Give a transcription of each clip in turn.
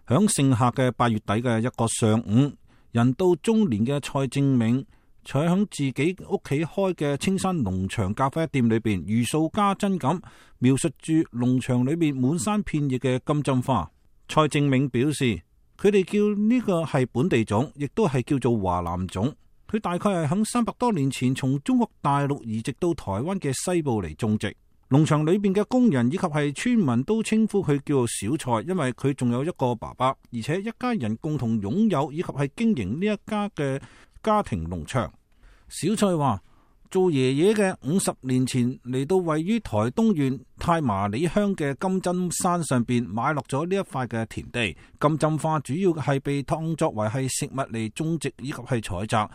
響剩下嘅8月底嘅一個上午，人到中年嘅蔡正銘坐響自己屋企開嘅青山農場咖啡店裏邊，如數家珍咁描述住農場裏邊滿山遍野嘅金針花。蔡正銘表示，佢哋叫呢個係本地種，亦都係叫做華南種。佢大概係響300多年前從中國大陸移植到台灣嘅西部嚟種植。農場裏邊嘅工人以及係村民都稱呼佢叫做小蔡，因為佢仲有一個爸爸，而且一家人共同擁有以及係經營呢一家嘅家庭農場。小蔡話，做爺爺嘅50年前嚟到位於台東縣太麻里鄉嘅金針山上邊買落咗呢一塊嘅田地。金針花主要係被當作為係食物嚟種植以及係採摘。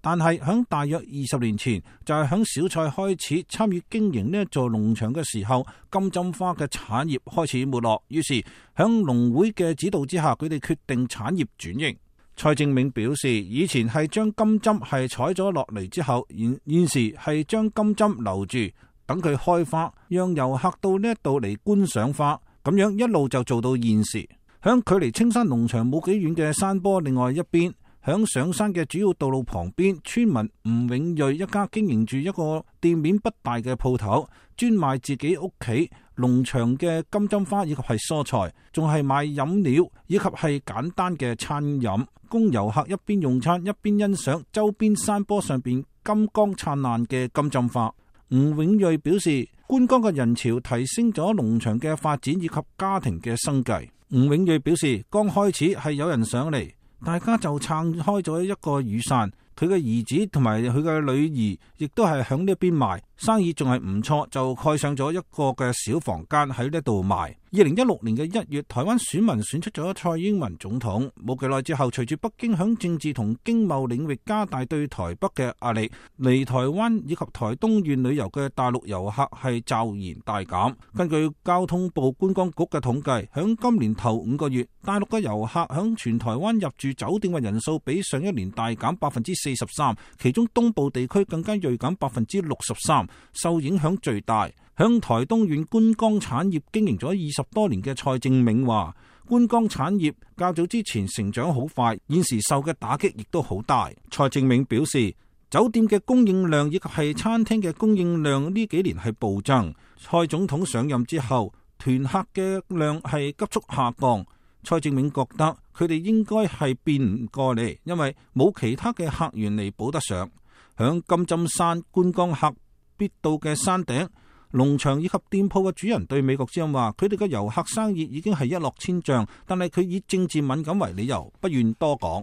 但係響大約20年前，就係響小蔡開始參與經營呢一座農場嘅時候，金針花嘅產業開始沒落，於是響農會嘅指導之下，佢哋決定產業轉型。蔡正銘表示，以前係將金針係採咗落嚟之後，現時係將金針留住，等佢開花，讓遊客到呢一度嚟觀賞花，咁樣一路就做到現時。響距離青山農場冇幾遠嘅山坡另外一邊，響上山嘅主要道路旁邊，村民吳永瑞一家經營住一個店面不大嘅鋪頭，專賣自己屋企農場嘅金針花以及係蔬菜，仲係賣飲料以及係簡單嘅餐飲，供遊客一邊用餐一邊欣賞周邊山坡上邊金光燦爛嘅金針花。吳永瑞表示，觀光嘅人潮提升咗農場嘅發展以及家庭嘅生計。吳永瑞表示，剛開始係有人上嚟，大家就撐開咗一個雨傘，佢嘅兒子同埋佢嘅女兒亦都係響呢邊賣，生意仲係唔錯，就蓋上咗一個嘅小房間喺呢度賣。2016年嘅1月，台灣選民選出咗蔡英文總統，冇幾耐之後，隨住北京響政治同經貿領域加大對台北嘅壓力，嚟台灣以及台東縣旅遊嘅大陸遊客係驟然大減。根據交通部觀光局嘅統計，響今年頭5個月，大陸嘅遊客響全台灣入住酒店嘅人數比上一年大減43%，其中東部地區更加銳減63%，受影響最大。響台東縣觀光產業經營咗20多年嘅蔡正銘話，觀光產業較早之前成長好快，現時受嘅打擊亦都好大。蔡正銘表示，酒店嘅供應量以及係餐廳嘅供應量呢幾年係暴增。蔡總統上任之後，團客嘅量係急速下降。蔡正銘覺得佢哋應該係變唔過嚟，因為冇其他嘅客源嚟補得上。響金針山觀光客必到嘅山頂農場以及店鋪嘅主人對美國之音話，佢哋嘅遊客生意已經係一落千丈，但係佢以政治敏感為理由，不願多講。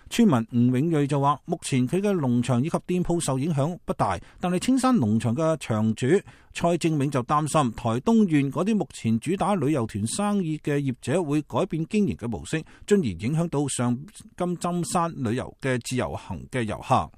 村民吳永瑞就話，目前佢嘅農場以及店鋪受影響不大，但係青山農場嘅場主蔡正銘就擔心台東縣嗰啲目前主打旅遊團生意嘅業者會改變經營嘅模式，進而影響到上金針山旅遊嘅自由行嘅遊客。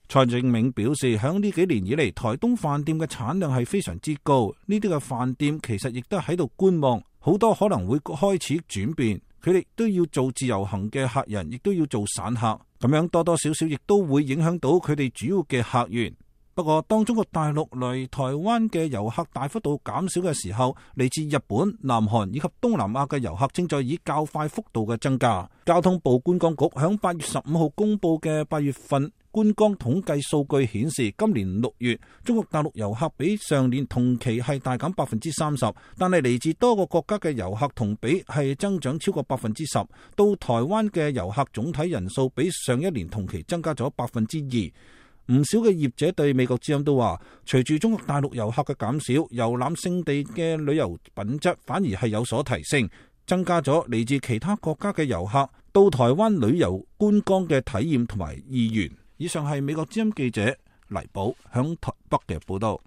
蔡正銘表示，響呢幾年以嚟，台東飯店嘅產量係非常之高，呢啲嘅飯店其實亦都喺度觀望，好多可能會開始轉變，佢哋都要做自由行嘅客人，亦都要做散客，咁樣多多少少亦都會影響到佢哋主要嘅客源。不過當中國大陸嚟台灣嘅遊客大幅度減少嘅時候，嚟自日本、南韓以及東南亞嘅遊客正在以較快幅度嘅增加。交通部觀光局響8月15號公布嘅8月份觀光統計數據顯示，今年6月中國大陸遊客比上年同期係大減30%，但係嚟自多個國家嘅遊客同比係增長超過10%。到台灣嘅遊客總體人數比上一年同期增加咗2%。唔少嘅業者對美國之音都話，隨住中國大陸遊客嘅減少，遊覽勝地嘅旅遊品質反而係有所提升，增加咗嚟自其他國家嘅遊客到台灣旅遊觀光嘅體驗同埋意願。以上係美國之音記者黎寶響台北嘅報道。